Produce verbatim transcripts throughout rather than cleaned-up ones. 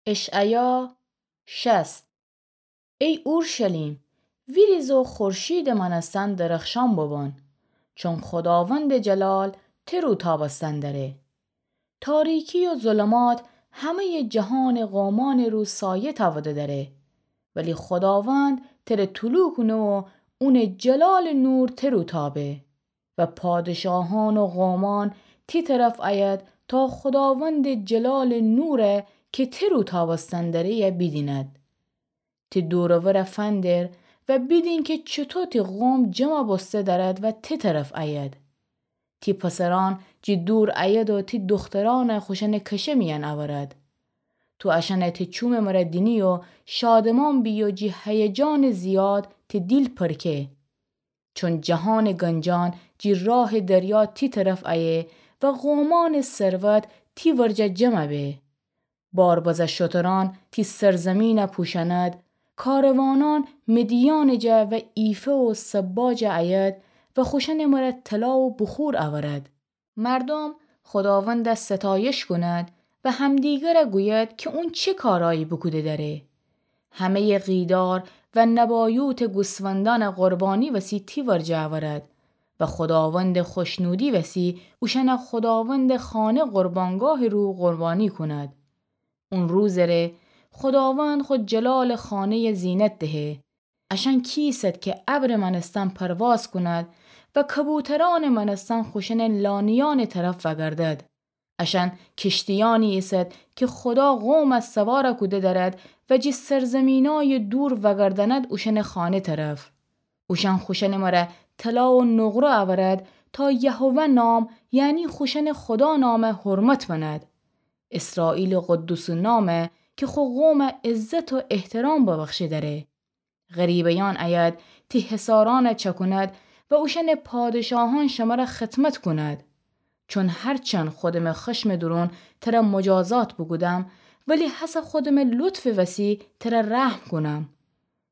اشعیا شصت. ای اورشلیم، ویریز و خورشیدٚ مأنستن درخشان ببان، چون خوداوندٚ جلال تر و تابستن دأره. تاریکی و ظلمات همه‌یٚ جهانٚ قومأنٚ رو سایه تأوده دأره، ولی خوداوند تره طلوع کونه و اونٚ جلالٚ نور تر و تابه. و پادشاهان و قومأن تی طرف أید تا خوداوندٚ جلالٚ نور کی تر و تابستن دأره بیدیند. تی دور و ور فندر و بیدین کی چوطو تی قوم جمع بوسته دأرد و تی طرف أید. تی پسرأن جی دور أید و تی دوخترأن خوشأنٚ کشه میأن أورد. تو اشأن تی چومٚ مره دینی و شادمان بی و جی هیجانٚ زیاد تی دیل پرکه. چون جهانٚ گنجأن جی راهٚ دریا تی طرف أیه و قومأنٚ ثروت تی ورجه جمع به. باربزه شترأن تی سرزمین پوشأند، کاروانأن مدیانٚ جا و ایفه و سبا جا أید و خوشأنٚ مره طلا و بخور أورد. مردوم خوداوند ستایش کند و همدیگر گوید کی اون چه کارأیی بوکوده دأره. همه‌یٚ قیدار و نبایوتٚ گوسفندأن قربانی وسی تی ورجه أورد و خوداوندٚ خوشنودی وسی اوشأن خوداوندٚ خانه قربانگاهٚ رو قربانی کند. اون روزٚ ره خوداوند خو جلالٚ خانه‌یٚ زینت دهه. اشأن کیسد کی ابرٚ مأنستن پرواز کند و کبوترأنٚ مأنستن خوشأنٚ لانیأنٚ طرف وأگردد. اشأن کشتیأنی ایسد کی خودا قوم سوار کوده دأرد و جی سرزمینأیٚ دور وأگردأند اوشأنٚ خانه طرف. اوشأن خوشأنٚ مره طلا و نقره أورد تا یهوه نام، یعنی خوشأنٚ خودا نام حرمت بند. اسرائیلٚ قدوسٚ نام کی خو قوم عزت و احترام ببخشه دأره. غریبه‌یأن أید تی حصارأن چأکوند و اوشأنٚ پادشاهأن شمر خدمت کوند. چون هرچند خودمٚ خشمٚ دورون تر مجازات بوکودم، ولی هسه خودمٚ لطفٚ وسی تر رحم کونم.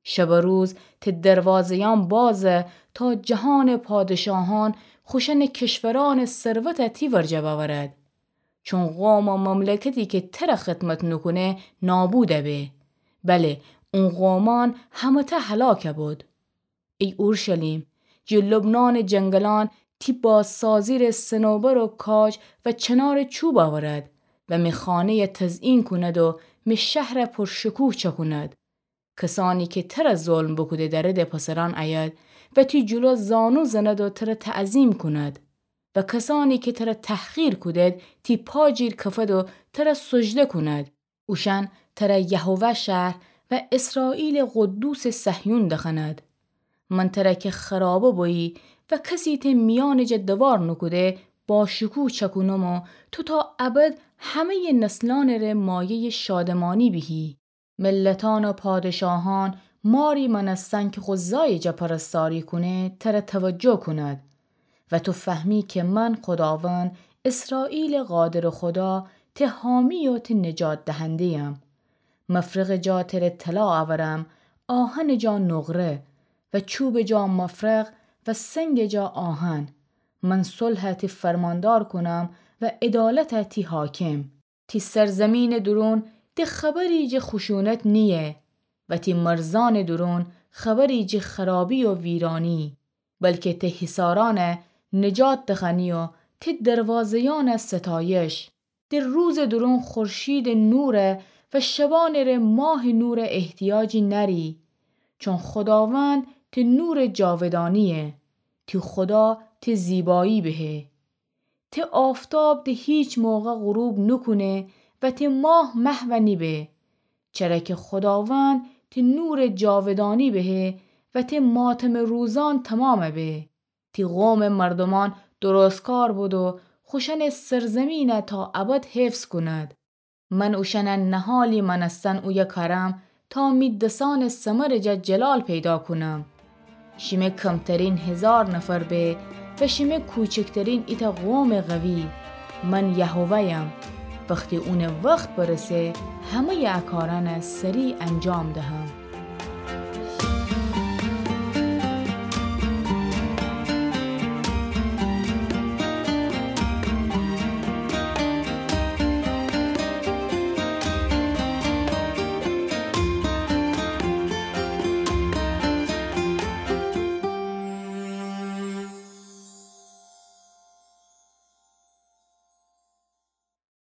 شب و روز تی دروازه‌یأن بازه تا جهانٚ پادشاهأن خوشأنٚ کشورأنٚ ثروت تی ورجه بأورد. چون قوم و مملکتی کی تر خدمت نوکونه نابود به. بله، اون قومأن همه‌تأ هلاک بود. ای اورشلیم، جی لبنانٚ جنگلأن تی بازسازی ره صنوبر و کاج و چنارٚ چوب أورد و می خانه‌ی تزئین کوند و می شهر پرشکوه چأکوند. کسأنی کی تر ظلم بوکوده دأردٚ پسرأن أید و تی جلو زانو زند و تر تعظیم کوند. و کسأنی کی تر تحقیر کودد تی پا جیر کفد و تر سجده کوند. اوشأن تر یهوه شهر و اسرائیلٚ قدوسٚ صهیون دخوأند. من تر کی خرابه بویی و کسی تی میأنٚ جا دوار نوکوده، باشکوه چأکونم و تو تا ابد همه‌یٚ نسلأنٚ ره مایه‌یٚ شادمانی بیهی. ملتأن و پادشاهأن ماری مأنستن کی خو زایٚ جا پرستاری کونه تر توجه کوند و تو فهمی کی من خوداوند، اسرائیلٚ قادرٚ خودا، تی حامی و تی نجات دهنده‌یم. مفرقٚ جا تر طلا أورم، آهنٚ جا نقره و چوبٚ جا مفرق و سنگٚ جا آهن. من صلح تی فرماندار کونم و عدالت تی حاکم. تی سرزمینٚ دورون ده خبری جٚه خشونت نییه و تی مرزأنٚ دورون خبری جٚه خرابی و ویرانی، بلکی تی حصارأن نجات دخوأنی و تی دروازه‌یأن ستایش. ده روزٚ دورون خورشیدٚ نور و شبأنٚ ره ماهٚ نور احتیاجی نأری، چون خوداوند تی نورٚ جاودانییه، تی خودا تی زیبایی بهه. تی آفتاب ده هیچ موقع غروب نوکونه و تی ماه محو نیبه، چره کی خوداوند تی نورٚ جاودانی بهه و تی ماتمٚ روزأن تومام به. تی قومٚ مردومأن درستکار بود و خوشأنٚ سرزمین تا ابد حفظ کوند. من اوشأن نهالی مأنستن اویه کأرم تا می دسأنٚ ثمرٚ جا جلال پیدا کونم. شیمه کمترین هیزار نفر به و شیمه کوچکترین ایتأ قومٚ قوی. من یهوه‌یم. وختی اونٚ وخت برسه، همه‌یٚ ا کارأن سریع انجام دهم.